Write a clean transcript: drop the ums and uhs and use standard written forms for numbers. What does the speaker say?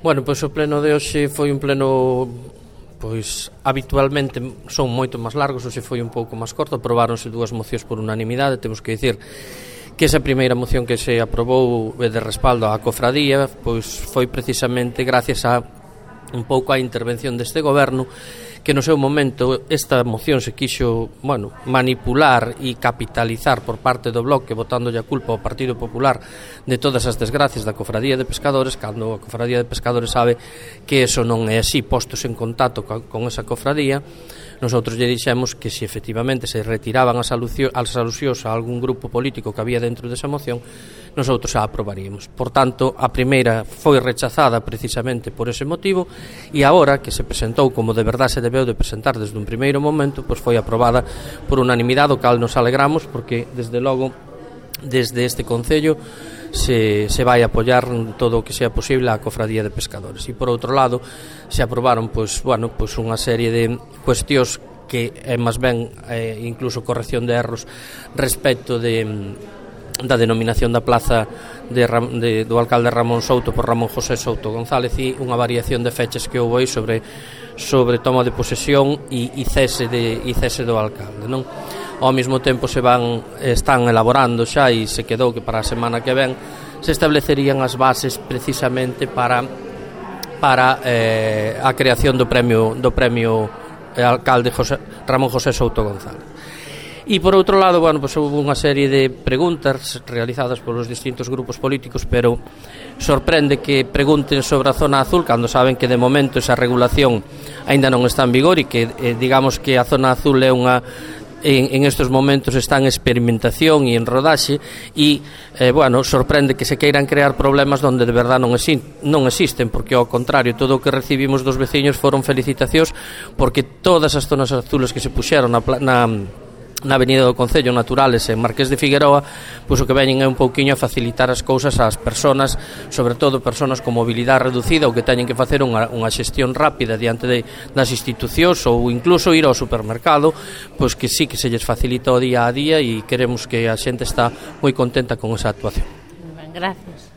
Bueno, pois o pleno de hoxe foi un pleno, pois habitualmente son moito máis largos, hoxe foi un pouco máis corto, aprobáronse 2 mocións por unanimidade. Temos que dicir que esa primeira moción que se aprobou de respaldo á cofradía, pois foi precisamente gracias a un pouco a intervención deste goberno, que no seu momento esta moción se quixo, manipular e capitalizar por parte do Bloque, botándolle a culpa ao Partido Popular de todas as desgracias da Cofradía de Pescadores, cando a Cofradía de Pescadores sabe que eso non é así. Postos en contacto con esa cofradía, nosotros lle dixemos que se efectivamente se retiraban as alusións a algún grupo político que había dentro desa moción, nosotros a aprobaríamos. Por tanto, a primeira foi rechazada precisamente por ese motivo, e agora que se presentou como de verdade se debeu de presentar desde un primeiro momento, pois foi aprobada por unanimidade, o cal nos alegramos, porque desde logo desde este Concello se vai apoiar todo o que sea posible á Cofradía de Pescadores. E por outro lado se aprobaron unha serie de cuestións que é máis ben incluso corrección de erros respecto da denominación da plaza do alcalde Ramón Souto por Ramón José Souto González, e unha variación de fechas que houve aí sobre toma de posesión e cese do alcalde, non? Ao mesmo tempo están elaborando xa, e se quedou que para a semana que ven se establecerían as bases precisamente para a creación do premio alcalde Ramón José Souto González. E por outro lado, houve unha serie de preguntas realizadas polos distintos grupos políticos, pero sorprende que pregunten sobre a zona azul cando saben que de momento esa regulación aínda non está en vigor, e que digamos que a zona azul é en estes momentos está en experimentación e en rodaxe, e sorprende que se queiran crear problemas onde de verdade non existen, porque ao contrario, todo o que recibimos dos veciños foron felicitacións, porque todas as zonas azules que se puxeron na Avenida do Concello, Naturales e Marqués de Figueroa, pois o que veñen é un pouquiño a facilitar as cousas ás persoas, sobre todo persoas con mobilidade reducida ou que teñen que facer unha xestión rápida diante das institucións ou incluso ir ao supermercado, pois que sí que se lles facilita o día a día, e queremos que a xente está moi contenta con esa actuación. Gracias.